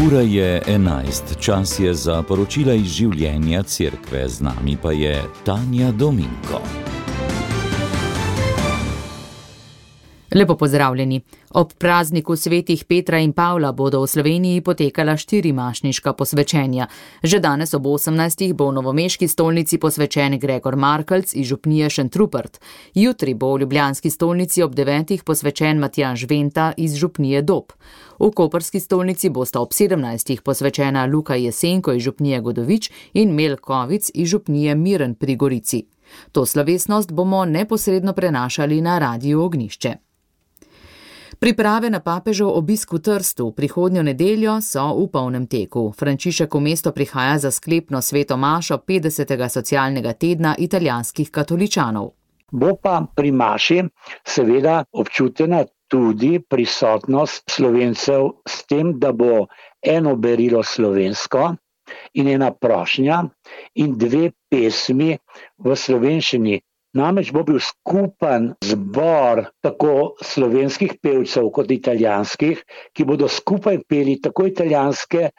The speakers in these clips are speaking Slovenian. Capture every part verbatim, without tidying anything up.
Ura je enajst, čas je za poročila iz življenja cerkve, z nami pa je Tanja Dominko. Lepo pozdravljeni. Ob prazniku svetih Petra in Pavla bodo v Sloveniji potekala štiri mašniška posvečenja. Že danes ob osemnajstih bo v novomeški stolnici posvečen Gregor Markelc iz župnije Šentrupert. Jutri bo v ljubljanski stolnici ob devetih posvečen Matjaž Venta iz župnije Dob. V koprski stolnici bosta ob sedemnajstih posvečena Luka Jesenko iz župnije Godovič in Mel Kovic iz župnije Miren pri Gorici. To slovesnost bomo neposredno prenašali na Radiu Ognjišče. Priprave na papežev obisk v Trstu prihodnjo nedeljo so v polnem teku. Frančišek v mesto prihaja za sklepno sveto mašo petdesetega socialnega tedna italijanskih katoličanov. Bo pa pri maši seveda občutena tudi prisotnost Slovencev s tem, da bo eno berilo slovensko in ena prošnja in dve pesmi v slovenščini. Namreč bo bil skupen zbor tako slovenskih pevcev kot italijanskih, ki bodo skupaj peli tako italijanske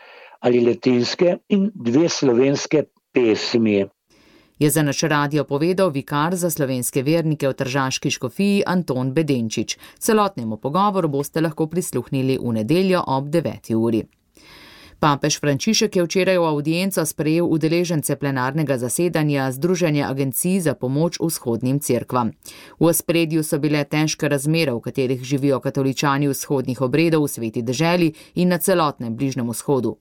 ali latinske in dve slovenske pesmi. Je za naš radio povedal vikar za slovenske vernike v tržaški škofiji Anton Bedenčič. Celotnemu pogovoru boste lahko prisluhnili v nedeljo ob deveti uri. Papež Frančišek je včeraj v avdienco sprejel udeležence plenarnega zasedanja Združenja agencij za pomoč vzhodnim cerkvam. V ospredju so bile težke razmere, v katerih živijo katoličani vzhodnih obredov v sveti deželi in na celotnem Bližnjem vzhodu.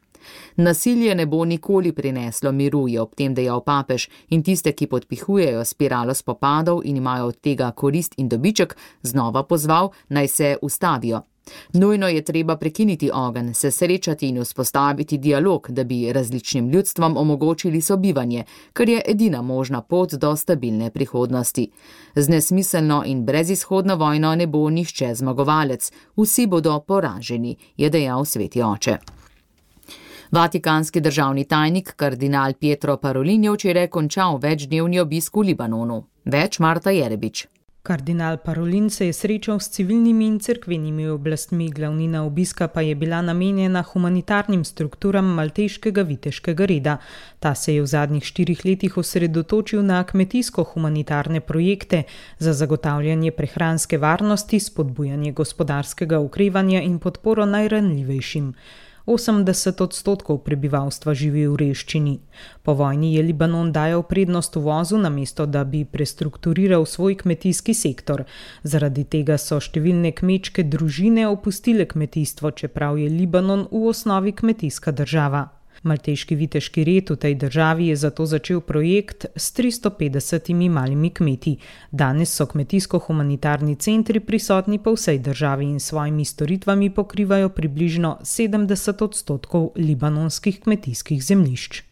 Nasilje ne bo nikoli prineslo miru, je ob tem dejal papež, in tiste, ki podpihujejo spiralo spopadov in imajo od tega korist in dobiček, znova pozval, naj se ustavijo. Nujno je treba prekiniti ogenj, se srečati in vzpostaviti dialog, da bi različnim ljudstvom omogočili sobivanje, kar je edina možna pot do stabilne prihodnosti. Z nesmiselno in brezizhodno vojno ne bo nihče zmagovalec, vsi bodo poraženi, je dejal sveti oče. Vatikanski državni tajnik kardinal Pietro Parolin je včeraj končal večdnevni obisk v Libanonu. Več Marta Jerebič. Kardinal Parolin se je srečal s civilnimi in cerkvenimi oblastmi, glavnina obiska pa je bila namenjena humanitarnim strukturam malteškega viteškega reda. Ta se je v zadnjih štirih letih osredotočil na kmetijsko-humanitarne projekte za zagotavljanje prehranske varnosti, spodbujanje gospodarskega okrevanja in podporo najranljivejšim. osemdeset odstotkov prebivalstva živi v revščini. Po vojni je Libanon dajal prednost uvozu, namesto da bi prestrukturiral svoj kmetijski sektor. Zaradi tega so številne kmečke družine opustile kmetijstvo, čeprav je Libanon v osnovi kmetijska država. Malteški viteški red v tej državi je zato začel projekt s tristo petdesetimi malimi kmeti. Danes so kmetijsko-humanitarni centri prisotni po vsej državi in svojimi storitvami pokrivajo približno sedemdeset odstotkov libanonskih kmetijskih zemljišč.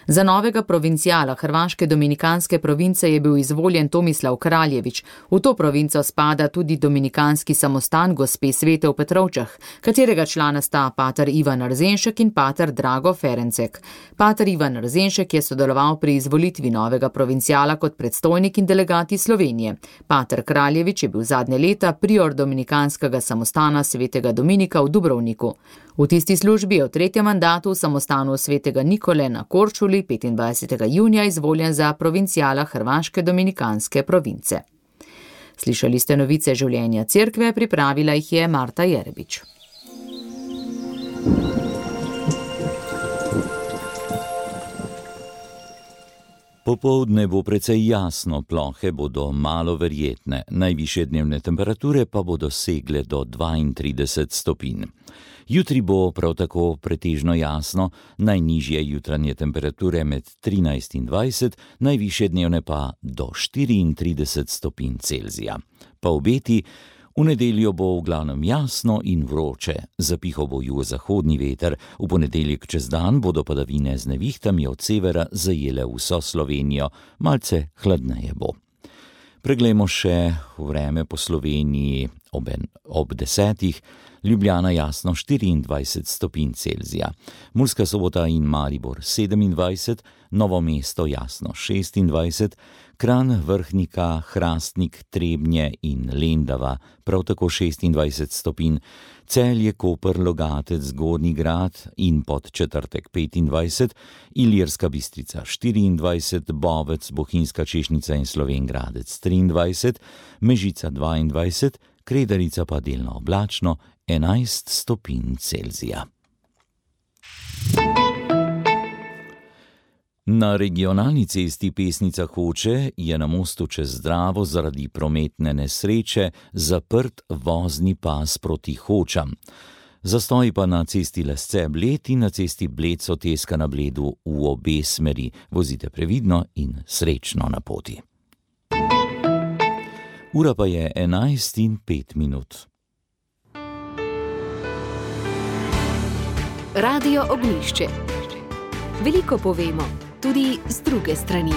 Za novega provincijala hrvaške dominikanske province je bil izvoljen Tomislav Kraljević. V to provinco spada tudi dominikanski samostan gospe Svete v Petrovčah, katerega člana sta pater Ivan Rzenšek in pater Drago Ferencek. Pater Ivan Rzenšek je sodeloval pri izvolitvi novega provincijala kot predstojnik in delegat iz Slovenije. Pater Kraljević je bil zadnje leta prior dominikanskega samostana Svetega Dominika v Dubrovniku. V tisti službi je v tretjem mandatu v samostanu Svetega Nikole na Korčuli petindvajsetega junija izvoljen za provincijala hrvaške dominikanske province. Slišali ste novice življenja cerkve, pripravila jih je Marta Jerebič. Popoldne bo precej jasno, plohe bodo malo verjetne, najvišje dnevne temperature pa bodo segle do dvaintrideset stopinj. Jutri bo prav tako pretežno jasno, najnižje jutranje temperature med trinajst in dvajset, najvišje dnevne pa do štiriintrideset stopinj Celzija. Pa obeti, v nedeljo bo v glavnem jasno in vroče, zapihal bo jugozahodni veter, v ponedeljek čez dan bodo padavine z nevihtami od severa zajele vso Slovenijo, malce hladneje bo. Preglejmo še vreme po Sloveniji ob, en, ob desetih, Ljubljana jasno štiriindvajset stopinj Celzija, Murska Sobota in Maribor sedemindvajset, Novo mesto jasno šestindvajset, Kranj, Vrhnika, Hrastnik, Trebnje in Lendava, prav tako šestindvajset stopinj, Celje, Koper, Logatec, Zgornji Grad in Podčetrtek petindvajset, Ilirska Bistrica štiriindvajset, Bovec, Bohinjska Češnica in Slovenj Gradec triindvajset, Mežica dvaindvajset, Kredarica pa delno oblačno enajst stopinj Celzija. Na regionalni cesti Pesnica-Hoče je na mostu čez Dravo zaradi prometne nesreče zaprt vozni pas proti Hočam. Zastoji pa na cesti Lesce-Bled in na cesti Bled-Soteska na Bledu v obe smeri. Vozite previdno in srečno na poti. Ura pa je enajst in pet minut. Radio Ognjišče. Veliko povemo, tudi z druge strani.